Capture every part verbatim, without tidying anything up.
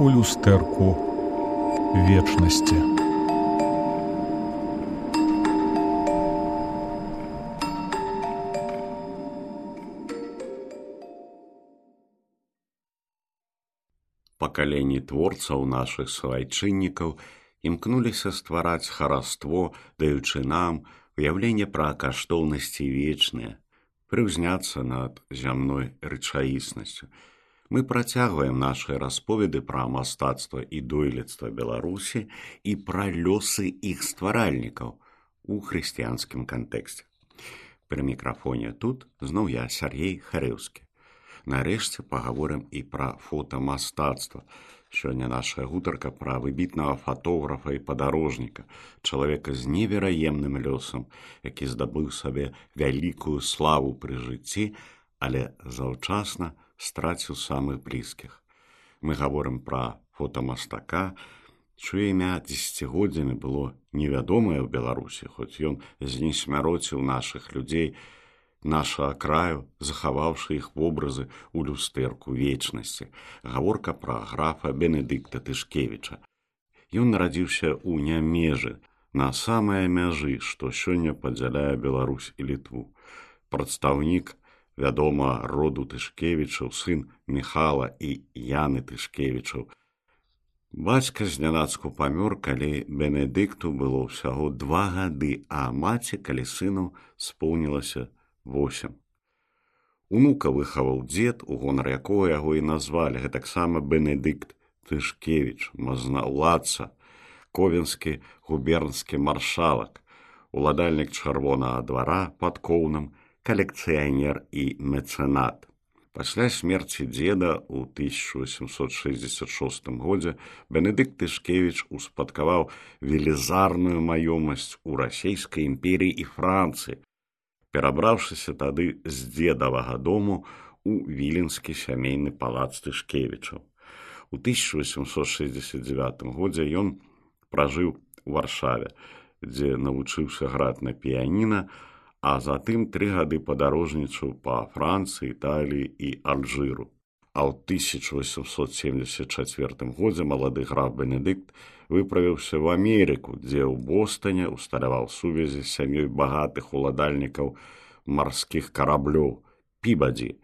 у люстэрку вечнасці. Пакаленні творцаў нашых свайчыннікаў імкнуліся ствараць хараство, даючы нам уяўленне пра каштоўнасці вечныя, прыўзняцца над зямной рэчаіснасцю. Мы працягваем нашы расповеды пра мастацтва і дойлідства Беларусі і пра лёсы іх стваральнікаў у хрысціянскім кантэксце. Пры мікрафоне тут зноў я, Сяргей Харэўскі. Нарэшце пагаворым і пра фотамастацтва. Сёння наша гутарка пра выбітнага фатографа і падарожніка, чалавека з невераемным лёсам, які здабыў сабе вялікую славу пры жыцці, але заўчасна страціў самых блізкіх. Мы гаворым пра фотамастака, чыё імя дзесяцігоддзямі было невядомае ў Беларусі, хоць ён знесмяроціў нашых людзей, наша краю, захаваўшы іх вобразы ў люстэрку вечнасці. Гаворка пра графа Бенедыкта Тышкевіча. Ён нарадзіўся ў Нямежы, на самай мяжы, што сёння падзяляе Беларусь і Літву. Прадстаўнік, вядома, роду Тышкевічаў, сын Міхала і Яны Тышкевічаў. Бацька знянацку памёр, калі Бенедыкту было ўсяго два гады, а маці, калі сыну споўнілася восем. Унука выхаваў дзед, у гонар якога яго і назвалі, гэтаксама Бенедыкт Тышкевіч, мазнаўладца, ковенскі губернскі маршалак, уладальнік чырвонага двара пад Коўнам, калекцыянер і мецэнат. Пасля смерці дзеда ў тысяча восемсот шэсцьдзесят шостым годзе Бенедыкт Тышкевіч успадкаваў велізарную маёмасць у расійскай імперіі і Францыі, перабраўшыся тады з дзедавага дому ў віленскі сямейны палац Тышкевічаў. У тысяча восемсот шэсцьдзесят дзевятым годзе ён пражыў у Варшаве, дзе навучыўся граць на піяніна, а затым тры гады падарожнічаў па Францыі, Італіі і Алжыру. А ў тысяча восемсот семьдесят чацвёртым годзе малады граф Бенедыкт выправіўся ў Амерыку, дзе ў Бостоне усталяваў сувязі з сям'ёй багатых уладальнікаў марскіх караблёў Пібадзі.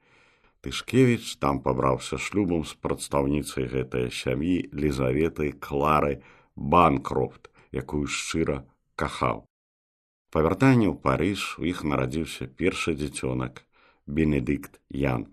Тышкевіч там пабраўся шлюбам з прадстаўніцай гэтай сям'і Лізаветай Кларай Банкрофт, якую шчыра кахаў. Па вяртанні ў Парыж у іх нарадзіўся першы дзіцёнак Бенедыкт Ян.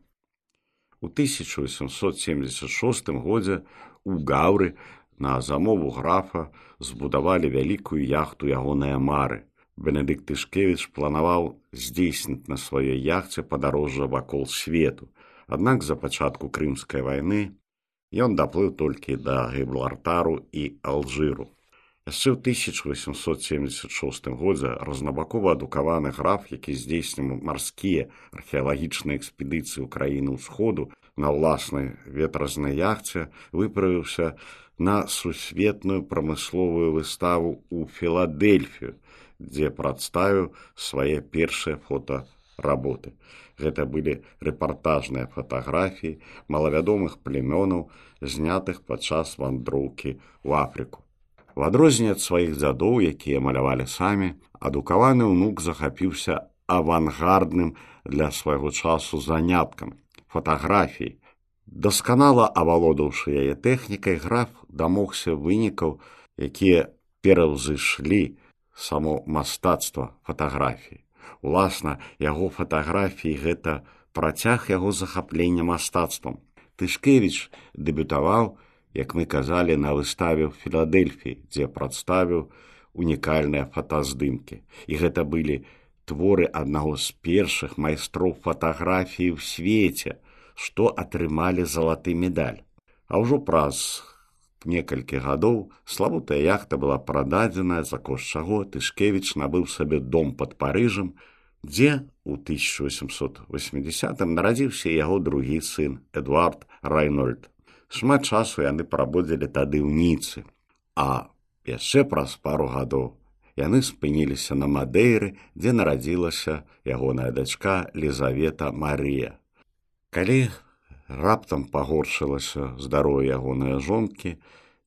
У тысяча восемсот семьдесят шостым годзе у Гаўры на замову графа збудавалі вялікую яхту ягоныя мары. Бенедыкт Тышкевіч планаваў здзейсніць на сваёй яхце падарожжа вакол свету. Аднак за пачатку Крымскай вайны ён даплыў толькі да Гібралтару і Алжыру. Яшчэ ў тысяча восемсот семьдесят шостым годзе разнабакова адукаваны граф, які здзейсніў марскія археалагічныя экспедыцыі ў краіны ўсходу, на ўласнай ветразнай яхце выправіўся на сусветную прамысловую выставу ў Філадельфію, дзе прадставіў свае першыя фотаработы. Гэта былі рэпартажныя фатаграфіі малавядомых племёнаў, знятых падчас вандроўкі ў Афрыку. У адрозненне ад сваіх дзядоў, якія малявалі самі, адукаваны ўнук захапіўся авангардным для свайго часу заняткам фатаграфіі. Дасканала авалодаўшы яе тэхнікай, граф дамогся вынікаў, якія пераўзышлі само мастацтва фатаграфіі. Уласна, яго фатаграфіі гэта працяг яго захаплення мастацтвам. Тышкевіч дэбютаваў, як мы казалі, на выставе ў Філадельфіі, дзе прадставіў унікальныя фотаздымкі. І гэта былі творы аднаго з першых майстроў фатаграфіі ў свеце, што атрымалі залаты медаль. А ўжо праз некалькі гадоў славутая яхта была прададзеная, за кошт чаго Тышкевіч набыў сабе дом пад Парыжам, дзе ў тысяча восемсот восьмідзесятым нарадзіўся яго другі сын Эдуард Райнольд. Шмат часу яны прабудзілі тады ў Ніцы, а яшчэ праз пару гадоў яны спыніліся на Мадэйры, дзе нарадзілася ягоная дачка Лізавета Марыя. Калі раптам пагоршылася здароўе ягонай жонкі,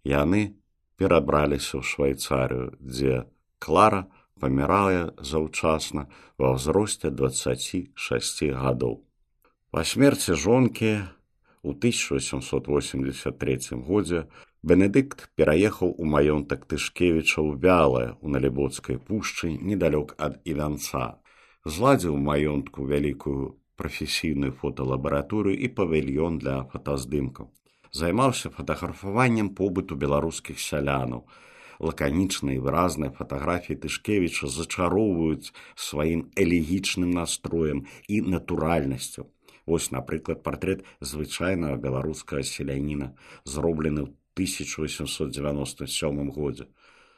яны перабраліся ў Швайцарыю, дзе Клара памірае заўчасна ва ўзросце дваццаці шасці гадоў. Па смерці жонкі у тысяча восемьсот восемьдесят третьем годзе Бенедыкт пераехаў у маёнтак Тышкевіча ў Вялае ў Налібоцкай пушчы недалёк ад Івянца. Зладзіў у маёнтку вялікую прафесійную фоталабараторыю і павільён для фотаздымкаў. Займаўся фатаграфаваннем побыту беларускіх сялянаў. Лаканічныя і выразныя фатаграфіі Тышкевіча зачароўваюць сваім элегічным настроем і натуральнасцю. Вось, напрыклад, партрэт звычайнага беларускага селяніна, зроблены ў тысяча восемьсот девяносто сёмым годзе.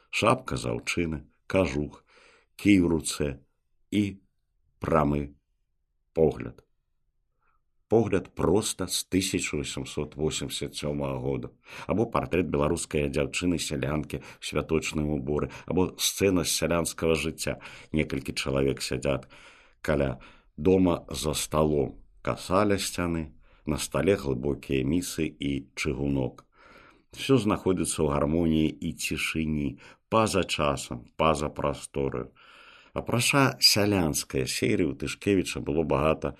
Шапка з аўчыны, кажух, кій у руцэ і прамы погляд. Погляд проста з тысяча восемьсот восемьдесят сёмага года. Або партрэт беларускай дзяўчыны-сялянкі ў святочным уборы, або сцэна з сялянскага жыцця. Некалькі чалавек сядзяць каля дома за сталом, каса ля сцяны, на стале глыбокія місы і чыгунок. Всё знаходзіцца ў гармоніі і цішыні, па-за часам, па-за прастораю. Апрача сялянскай серыі у Тышкевіча было багата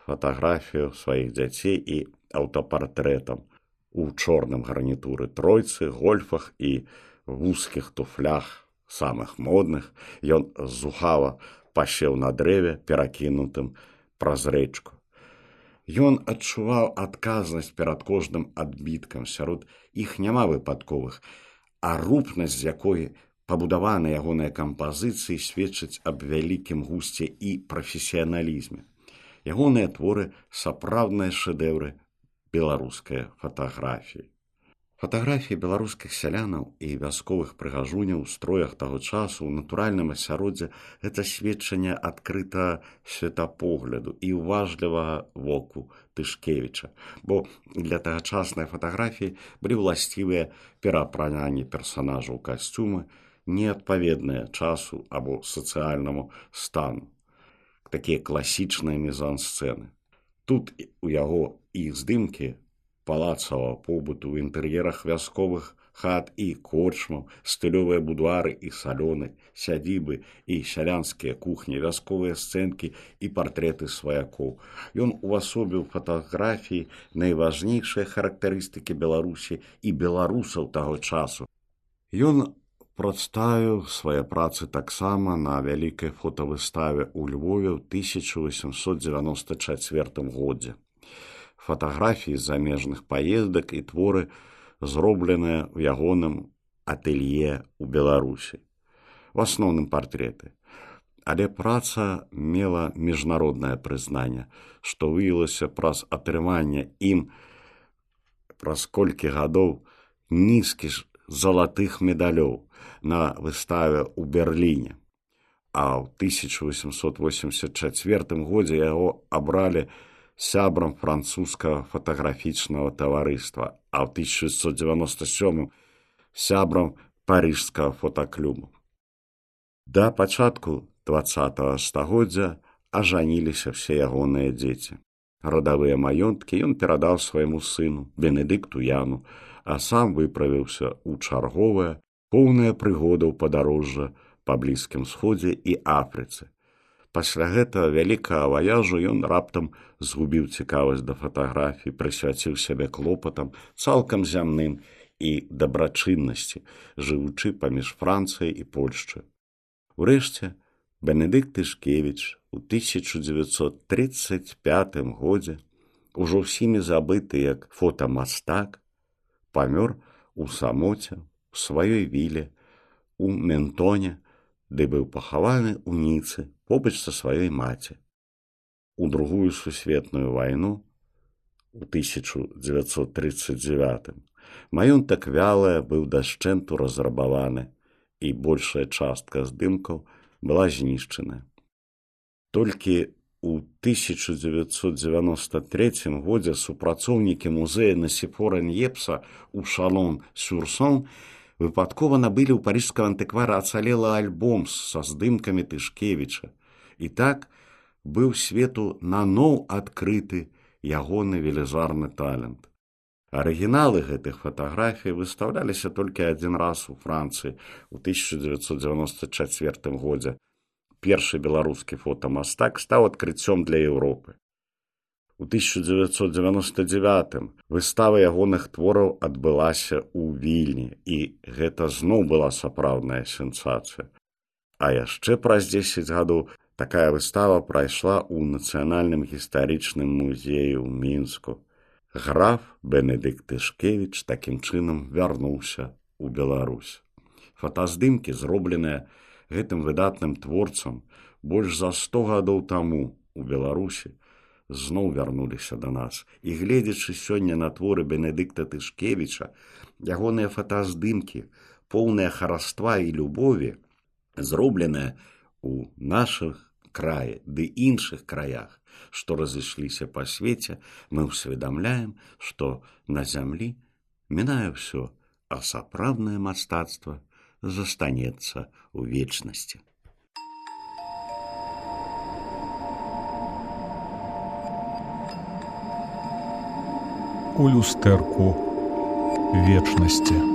фатаграфію сваіх дзяцей і аўтапартрэтам у чорным гарнітуры тройцы, гольфах і вузкіх туфлях, самых модных. Ён зухава пасеў на дрэве, перакінутым праз рэчку. Ён адчуваў адказнасць перад кожным адбіткам, сярод іх няма выпадковых, а рупнасць, з якой пабудаваны ягоныя кампазіцыі, сведчыць аб вялікім гусце і прафесіяналізме. Ягоныя творы сапраўдныя шэдэўры беларускай фатаграфіі. Фатаграфіі беларускіх сялянаў і вясковых прыгажуняў у строях таго часу ў натуральным асяроддзі – гэта сведчанне адкрытага светапогляду і уважлівага воку Тышкевіча, бо для тагачаснай фатаграфіі былі ўласцівыя пераапрананні персанажаў касцюмы, неадпаведныя часу або сацыяльнаму стану. Такія класічныя мізансцэны. Тут у яго іх здымкі палацавага побыту ў інтэр'ерах вясковых хат і корчмаў, стылёвыя будуары і салёны, сядзібы і сялянскія кухні, вясковыя сцэнкі і партрэты сваякоў. Ён увасобіў фатаграфіі найважнейшыя характарыстыкі Беларусі і беларусаў таго часу. Ён прадставіў свае працы таксама на вялікай фотавыставе ў Львове ў тысяча восемьсот девяносто четвёртым годзе. Фатаграфіі з замежных паездак і творы, зробленыя ў ягоным атэлье ў Беларусі. В асноўным партрэты. Але праца мела міжнароднае прызнанне, што выявілася праз атрыманне ім праз колькі гадоў нізкіх залатых медалёў на выставе ў Берліне. А ў тысяча восемьсот восемьдесят четвёртым годзе яго абралі сябрам французскага фотаграфічнага таварыства, а ў тысяча шестьсот девяносто сёмым сябрам парыжскага фотаклубу. Да пачатку дваццатага стагоддзя ажаніліся все ягоныя дзеці. Радавыя маёнткі ён перадаў свайму сыну, Бенедыкту Яну, а сам выправіўся ў чарговае, поўнае прыгодаў падарожжа па Блізкім Сходзе і Афрыцы. Пасля гэтага вялікага ваяжу ён раптам згубіў цікавасць да фатаграфій, прысвяціў сябе клопатам цалкам зямным і дабрачыннасці, жывучы паміж Францыяй і Польшчай. Урэшце, Бенедыкт Тышкевіч у тысяча девятьсот тридцать пятым годзе, ужо ўсімі забыты як фотамастак, памёр у самоце, у сваёй віле, у Ментоне, ды быў пахаваны ў Ніцы побач са сваёй маці. У другую сусветную вайну, у тысяча девятьсот тридцать девятым, маёнтак Вялае быў дашчэнту разрабаваны, і большая частка здымкаў была знішчана. Толькі у тысяча девятьсот девяносто третьем годзе супрацоўнікі музея Насіфора Ньепса ў Шалон-сюр-Сон выпадкова набылі ў парыжскага антыквара ацалелы альбом са здымкамі Тышкевіча. І так быў свету наноў адкрыты ягоны велізарны талент. Арыгіналы гэтых фатаграфій выстаўляліся толькі адзін раз у Францыі ў тысяча дзевяцьсот дзевяносто чацвёртым годзе. Першы беларускі фотамастак стаў адкрыццём для Еўропы. У тысяча дзевяцьсот дзевяносто дзевятым выстава ягоных твораў адбылася ў Вільні, і гэта зноў была сапраўдная сенсацыя. А яшчэ праз дзесяць гадоў такая выстава прайшла ў Нацыянальным гістарычным музеі ў Мінску. Граф Бенедыкт Тышкевіч такім чынам вярнуўся ў Беларусь. Фотаздымкі, зробленыя гэтым выдатным творцам больш за сто гадоў таму у Беларусі, зноў вярнуліся да нас. І гледзячы сёння на творы Бенедыкта Тышкевіча, ягоныя фотаздымкі, поўныя хараства і любові, зробленыя ў нашых краі ды іншых краях, што разышліся па свеце, мы ўсведамляем, што на зямлі мінае ўсё, а сапраўднае мастацтва застанецца ў вечнасці. У люстэрку вечнасці.